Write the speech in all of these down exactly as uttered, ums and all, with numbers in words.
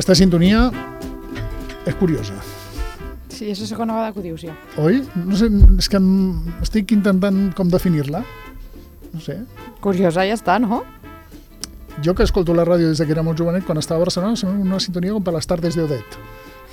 Aquesta sintonia és curiosa. Sí, és la segona vegada que ho dius ja. Oi? No sé, és que estic intentant com definir-la. No sé. Curiosa ja està, no? Jo que escolto la ràdio des que era molt jovenet, quan estava a Barcelona, sembla una sintonia com per les tardes de Odet.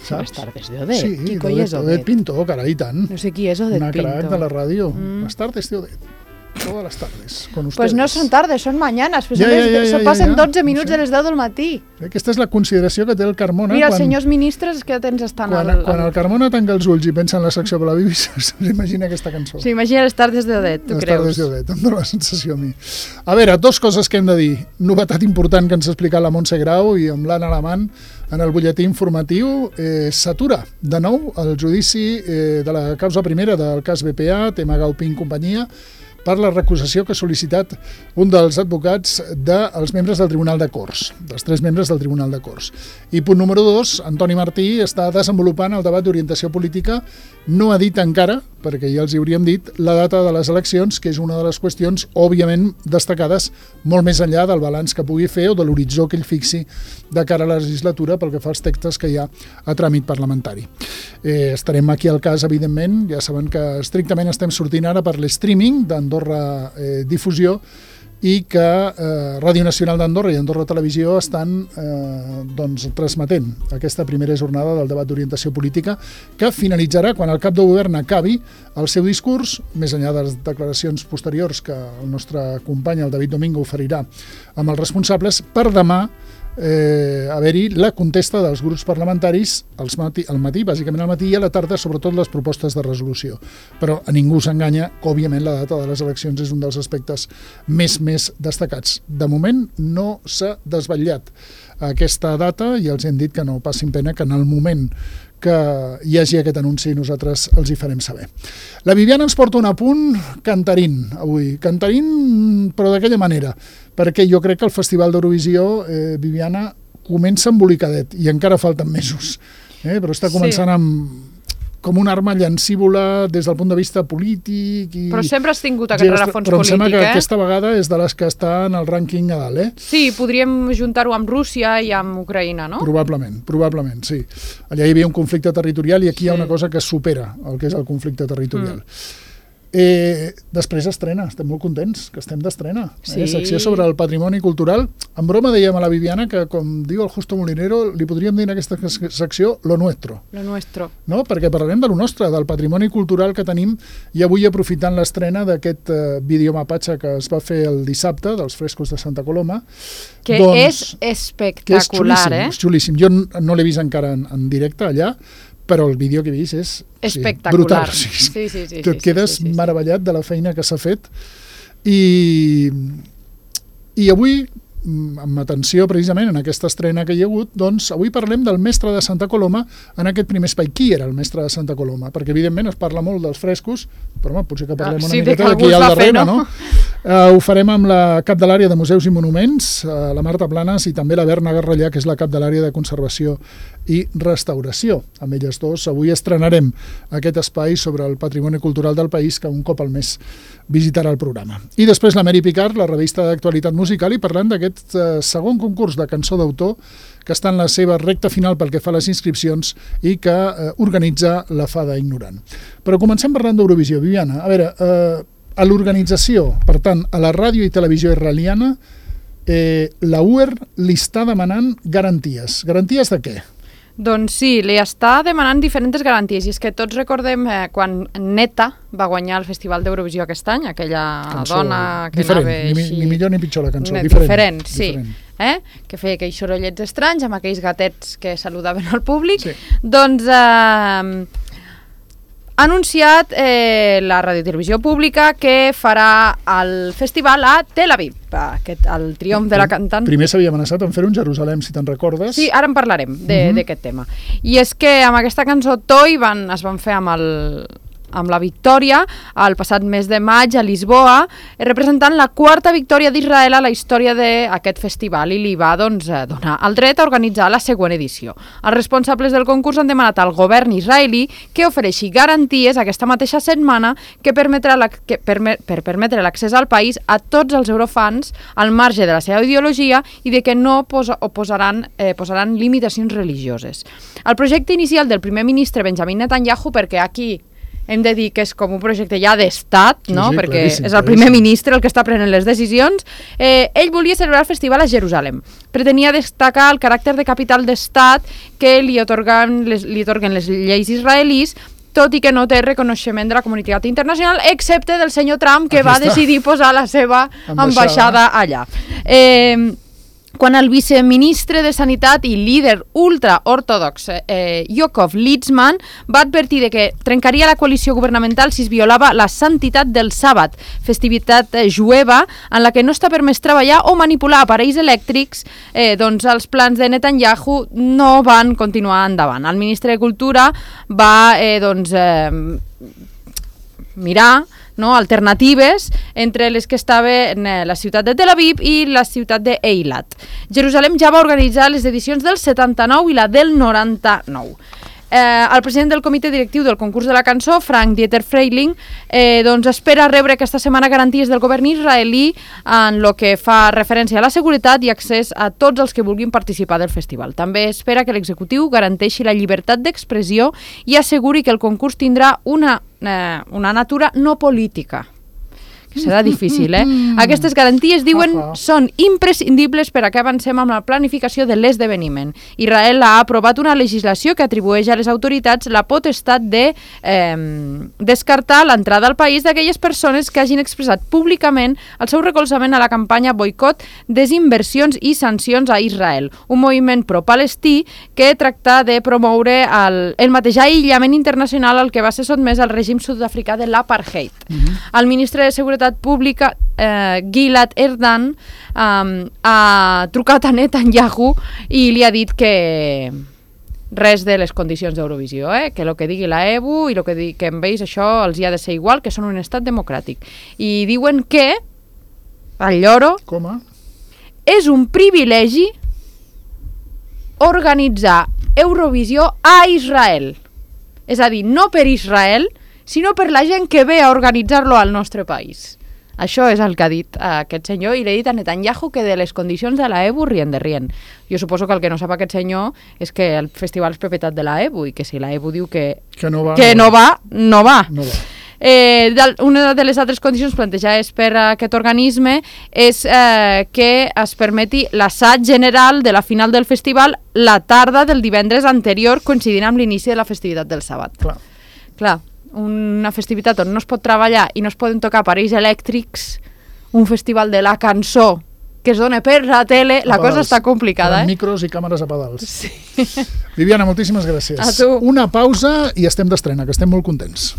Saps? Les tardes de Odet? Sí, qui coi és Odet? Odet Pinto, carai, tant. No sé qui és Odet Una Pinto. Una crac de la ràdio. Mm. Les tardes de Odet. Todas las tardes, con ustedes. Pues no són tardes, són mañanes. Pues ja, ja, ja, ja, passen ja, ja. dotze minuts no sé. de les deu del matí. Aquesta és la consideració que té el Carmona. Mira, quan, els senyors ministres que tens estan... Quan, al, quan el Carmona tanca els ulls i pensa en la secció per la B B C, s'imagina aquesta cançó. S'imagina les tardes de Odet, tu les creus? Les tardes de Odet, em dóna la sensació a mi. A veure, dos coses que hem de dir. Novetat important que ens ha explicat la Montse Grau i amb l'Anna Alamant en el butlletí informatiu. Eh, S'atura de nou el judici eh, de la causa primera del cas B P A, tema Gaupin companyia, per la recusació que ha sol·licitat un dels advocats dels membres del Tribunal de Corts, dels tres membres del Tribunal de Corts. I punt número dos, Antoni Martí està desenvolupant el debat d'orientació política, no ha dit encara, perquè ja els hi hauríem dit, la data de les eleccions, que és una de les qüestions, òbviament, destacades molt més enllà del balanç que pugui fer o de l'horitzó que ell fixi de cara a la legislatura pel que fa als textos que hi ha a tràmit parlamentari. Eh, estarem aquí al cas, evidentment, ja saben que estrictament estem sortint ara per l'streaming d'Andorra eh, Difusió i que eh, Ràdio Nacional d'Andorra i Andorra Televisió estan eh, doncs, transmetent aquesta primera jornada del debat d'orientació política que finalitzarà quan el cap de govern acabi el seu discurs, més enllà de les declaracions posteriors que el nostre company, el David Domingo, oferirà amb els responsables, per demà eh, haver-hi la contesta dels grups parlamentaris al matí, al matí, bàsicament al matí i a la tarda, sobretot les propostes de resolució. Però a ningú s'enganya que, òbviament, la data de les eleccions és un dels aspectes més, més destacats. De moment no s'ha desvetllat aquesta data i els hem dit que no passin pena, que en el moment que hi hagi aquest anunci nosaltres els hi farem saber. La Viviana ens porta un apunt cantarín avui, cantarín però d'aquella manera, perquè jo crec que el Festival d'Eurovisió, eh, Viviana, comença embolicadet i encara falten mesos, eh, però està començant sí. amb com una arma llancívola des del punt de vista polític. I però sempre has tingut aquest rerefons polític, eh? Però em sembla que aquesta vegada és de les que està en el rànquing a dalt, eh? Sí, podríem juntar-ho amb Rússia i amb Ucraïna, no? Probablement, probablement, sí. Allà hi havia un conflicte territorial i aquí sí. hi ha una cosa que supera el que és el conflicte territorial. Mm. Eh, després estrena, estem molt contents que estem d'estrena, sí. eh? Secció sobre el patrimoni cultural. En broma dèiem a la Viviana que, com diu el Justo Molinero, li podríem dir en aquesta secció lo nuestro. Lo nuestro. No? Perquè parlarem de lo nostre, del patrimoni cultural que tenim, i avui aprofitant l'estrena d'aquest eh, videomapatge que es va fer el dissabte dels frescos de Santa Coloma, que doncs, és espectacular, que és xulíssim, eh? És xulíssim. Jo no l'he vist encara en, en directe allà, però el vídeo que he vist és espectacular. Sí, brutal. Sí, sí, sí, sí, que et quedes sí, sí, sí. meravellat de la feina que s'ha fet. I, i avui, amb atenció precisament en aquesta estrena que hi ha hagut, doncs avui parlem del mestre de Santa Coloma en aquest primer espai. Qui era el mestre de Santa Coloma? Perquè evidentment es parla molt dels frescos, però home, potser que parlem ah, sí, una miqueta de qui hi ha al darrere, fer, no? no? Uh, ho farem amb la cap de l'àrea de Museus i Monuments, uh, la Marta Planes, i també la Berna Garrellà, que és la cap de l'àrea de Conservació i Restauració. Amb elles dos avui estrenarem aquest espai sobre el patrimoni cultural del país que un cop al mes visitarà el programa. I després la Mary Picard, la revista d'actualitat musical, i parlant d'aquest uh, segon concurs de cançó d'autor que està en la seva recta final pel que fa a les inscripcions i que uh, organitza la Fada Ignorant. Però comencem parlant d'Eurovisió. Viviana, a veure, uh, a l'organització, per tant, a la ràdio i televisió israeliana, eh, la U E R li està demanant garanties. Garanties de què? Doncs sí, li està demanant diferents garanties, i és que tots recordem eh, quan Neta va guanyar el Festival d'Eurovisió aquest any, aquella cançó dona que diferent, anava així... Ni, ni millor ni pitjor la cançó, ne, diferent. Diferent, sí. Diferent. Eh? Que feia aquells sorollets estranys amb aquells gatets que saludaven al públic. Sí. Doncs eh, ha anunciat eh, la radiotelevisió pública que farà el festival a Tel Aviv, aquest, el triomf de la cantant. Primer s'havia amenaçat en fer-ho en Jerusalem, si te'n recordes. Sí, ara en parlarem d'aquest uh -huh. tema. I és que amb aquesta cançó Toi van, es van fer amb el amb la victòria el passat mes de maig a Lisboa, representant la quarta victòria d'Israel a la història d'aquest festival, i li va doncs, donar el dret a organitzar la següent edició. Els responsables del concurs han demanat al govern israelí que ofereixi garanties aquesta mateixa setmana que permetrà la, que, perme, per permetre l'accés al país a tots els eurofans al marge de la seva ideologia i de que no posa, posaran, eh, posaran limitacions religioses. El projecte inicial del primer ministre Benjamin Netanyahu, perquè aquí hem de dir que és com un projecte ja d'estat, no? Sí, sí, perquè és el primer ministre el que està prenent les decisions. Eh, ell volia celebrar el festival a Jerusalem. Pretenia destacar el caràcter de capital d'estat que li otorguen les, li otorguen les lleis israelís, tot i que no té reconeixement de la comunitat internacional, excepte del senyor Trump, que Aquí va està. decidir posar la seva ambaixada allà. Eh, Quan el viceministre de Sanitat i líder ultraortodox eh, Yaakov Litzman va advertir de que trencaria la coalició governamental si es violava la santitat del sàbat, festivitat eh, jueva en la que no està permès treballar o manipular aparells elèctrics, eh, doncs els plans de Netanyahu no van continuar endavant. El ministre de Cultura va eh, doncs, eh, mirar no, alternatives entre les que estaven la ciutat de Tel Aviv i la ciutat d'Eilat. Jerusalem ja va organitzar les edicions del setanta-nou i la del noranta-nou. Eh, el president del comitè directiu del concurs de la cançó, Frank Dieter Freiling, eh, doncs espera rebre aquesta setmana garanties del govern israelí en el que fa referència a la seguretat i accés a tots els que vulguin participar del festival. També espera que l'executiu garanteixi la llibertat d'expressió i asseguri que el concurs tindrà una, eh, una natura no política. Que serà difícil, eh? Aquestes garanties, diuen, són imprescindibles per a que avancem amb la planificació de l'esdeveniment. Israel ha aprovat una legislació que atribueix a les autoritats la potestat de eh, descartar l'entrada al país d'aquelles persones que hagin expressat públicament el seu recolzament a la campanya boicot, desinversions i sancions a Israel, un moviment pro-palestí que tracta de promoure el, el mateix aïllament internacional al que va ser sotmès al règim sud-africà de l'apartheid. Mm-hmm. El ministre de Seguretat Pública, eh, Gilad Erdan, eh, ha trucat a Netanyahu i li ha dit que res de les condicions d'Eurovisió, eh? Que el que digui la E B U i el que, di que amb ells això els hi ha de ser igual, que són un estat democràtic. I diuen que el lloro Com a? és un privilegi organitzar Eurovisió a Israel. És a dir, no per Israel, sinó per la gent que ve a organitzar-lo al nostre país. Això és el que ha dit aquest senyor, i l'he dit a Netanyahu que de les condicions de la E B U rien de rien. Jo suposo que el que no sap aquest senyor és que el festival és propietat de la E B U i que si la E B U diu que, que no va, que no, no va, no va. No va. Eh, una de les altres condicions plantejades per aquest organisme és eh, que es permeti l'assaig general de la final del festival la tarda del divendres anterior, coincidint amb l'inici de la festivitat del sàbat. Clar. Clar, una festivitat on no es pot treballar i no es poden tocar aparells elèctrics, un festival de la cançó que es dona per la tele, la cosa està complicada, eh? Micros i càmeres a pedals. Sí. Viviana, moltíssimes gràcies. A tu. Una pausa i estem d'estrena, que estem molt contents.